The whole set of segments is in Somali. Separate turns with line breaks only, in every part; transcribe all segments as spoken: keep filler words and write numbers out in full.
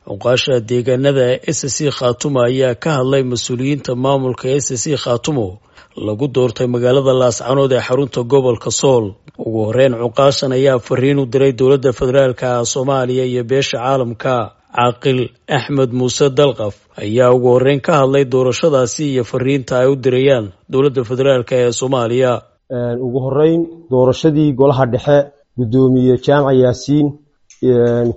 Cuqaasha deegaanada S C Khaatumo ayaa ka hadlay mas-uuliyiinta maamulka S C Khaatumo lagu doortay magaalada Laascanood ee xarunta gobolka Sool. Ugu horeyn, cuqaashan ayaa fariin u diray dowladda federaalka Soomaaliya iyo beesha caalamka. Caaqil Axmed Muuse Dalqaf ayaa ugu horeyn ka hadlay doorashadaasi iyo fariinta ay u dirayaan dowladda federaalk ee Soomaaliya.
Ugu horeyn, doorashadii golaha dhexe, guddoomiye Jaamac Yaasiin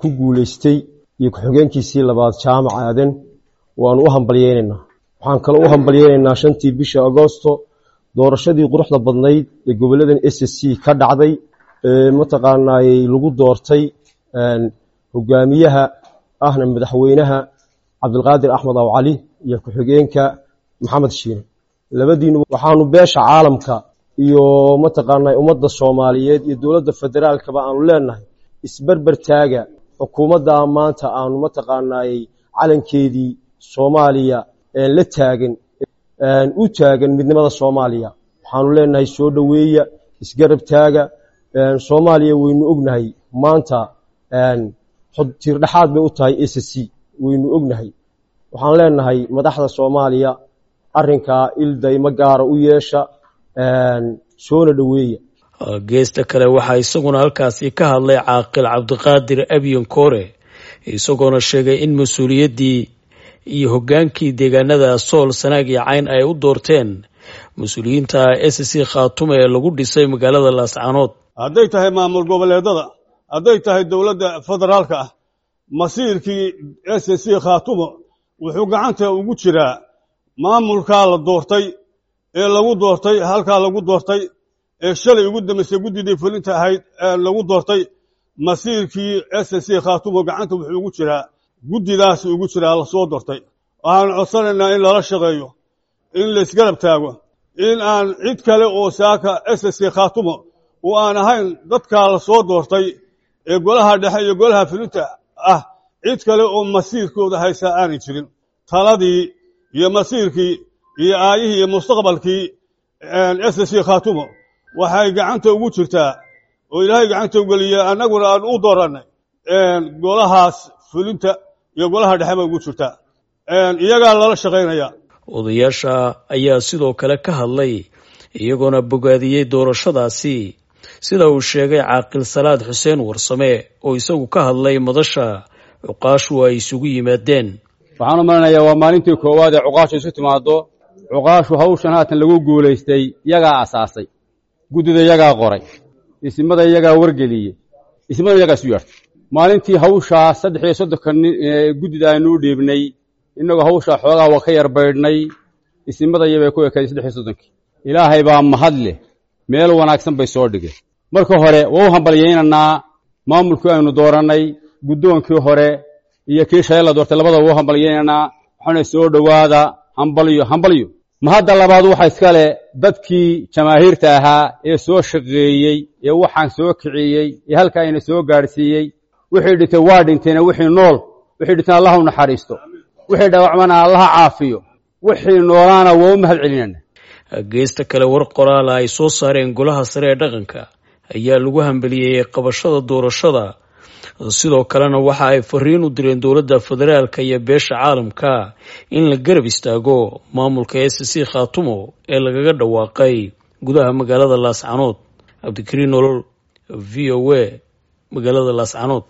ku guuleystay iyo ku-xigeenkiisii labaad Jaamac Aadan, waanu u hambalyeynaynaa. Waxaan kaloo u hambalyeynaynaa shantii bisha Agosto doorashadii quruxda badnayd ee goboladan S C ka dhacday, mataqaanaayey lagu doortay hogaamiyaha ahna madaxweynaha Cabdilqaadir Axmed Aw Cali iyo ku-xigeenka Maxamed Shiine labadiinu. Waxaanu beesha caalamka iyo mataqaanaa ummadda Soomaaliyeed iyo dowladda federaalkaba aanu leenahay: isberber taaga xukuumadda maanta aanu mataqaanaayey calankeedii Soomaaliya la taagan, u taagan midnimada Soomaaliya. Waxaanu leenahay soo dhoweeya, isgarab taaga. Soomaaliya waynu ognahay, maanta tiirdhexaad bay u tahay S C, waynu ognahay. Waxaan leenahay madaxda Soomaaliya, arrinkaa ildaymo gaara u yeesha, soona dhoweeya.
Geesta kale, waxaa isaguna halkaasi ka hadlay Caaqil Cabdiqaadir Abyan Koore, isagoona sheegay in mas-uuliyaddii iyo hoggaankii deegaanada Sool, Sanaag iyo Cayn ay u doorteen mas-uuliyiinta S C Khaatumo ee lagu dhisay magaalada Laascanood.
Hadday tahay maamul goboleedada, hadday tahay dowladda federaalka ah, masiirkii S C Khaatumo wuxuu gacanta ugu jiraa maamulkaa la doortay ee lagu doortay halkaa lagu doortay ee shalay ugu dambaysay guddidii fulinta ahayd ee lagu doortay. Masiirkii S C Khaatumo gacanta wuxuu ugu jiraa guddidaas ugu jiraa lasoo doortay. Waxaan codsanaynaa in lala shaqeeyo, in laisgarab taago, in aan cid kale oo saaka S C Khaatumo oo aan ahayn dadkaa lasoo doortay ee golaha dhexe iyo golaha fulinta ah, cid kale oo masiirkooda haysaa aanay jirin. Taladii iyo masiirkii iyo aayihii iyo mustaqbalkii S C Khaatumo waxay gacanta ugu jirtaa oo Ilaahay gacanta u geliya, annaguna aan u doorannay golahaas fulinta iyo golaha dhexe bay ugu jirtaa, iyagaa lala shaqaynaya.
Odayaasha ayaa sidoo kale ka hadlay, iyagoona bogaadiyey doorashadaasi, sida uu sheegay Caaqil Salaad Xuseen Warsame oo isagu ka hadlay madasha cuqaashu ay isugu yimaadeen.
Waxaan u malinayaa waa maalintii koowaad ee cuqaashu isu timaaddo. Cuqaashu hawshan haatan lagu guulaystay iyagaa asaasay, guddida iyagaa qoray, isimada iyagaa wargeliyey, isimada iyagaa isu yeertay. Maalintii hawshaa saddex iyo soddonka guddida aynuu dhiibnay, innagoo hawshaa xoogaa waa ka yar baydhnay, isimada iyabay ku ekayd saddex iyo soddonkii. Ilaahay baa mahad leh, meel wanaagsan bay soo dhigeen. Marka hore waa u hambalyaynaynaa maamulkii aynu doorannay, guddoonkii hore iyo kii shalay la doortay, labadaba waa u hambalyaynaynaa. Waxaana soo dhowaada, hambalyo, hambalyo. Mahadda labaad waxa iska leh dadkii jamaahiirta ahaa ee soo shaqeeyey ee waxaan soo kiciyey ee halkaa ayna soo gaadhsiiyey. Wixii dhintay waa dhinteena, wixii nool, wixii dhinteen Allah u naxariisto, wixii dhaawacmana Allaha caafiyo, wixii noolaana waa u mahad celinayna.
Geesta kale, war qoraala ay soo saareen golaha sare ee dhaqanka ayaa lagu hambaliyeeyey qabashada doorashada. Sidoo kalena waxa ay fariin u direen dowladda federaalka iyo beesha caalamka in la garab istaago maamulka S C Khaatumo ee lagaga dhawaaqay gudaha magaalada Laascanood. Cabdikariin Nolol, V O A, magaalada Laascanood.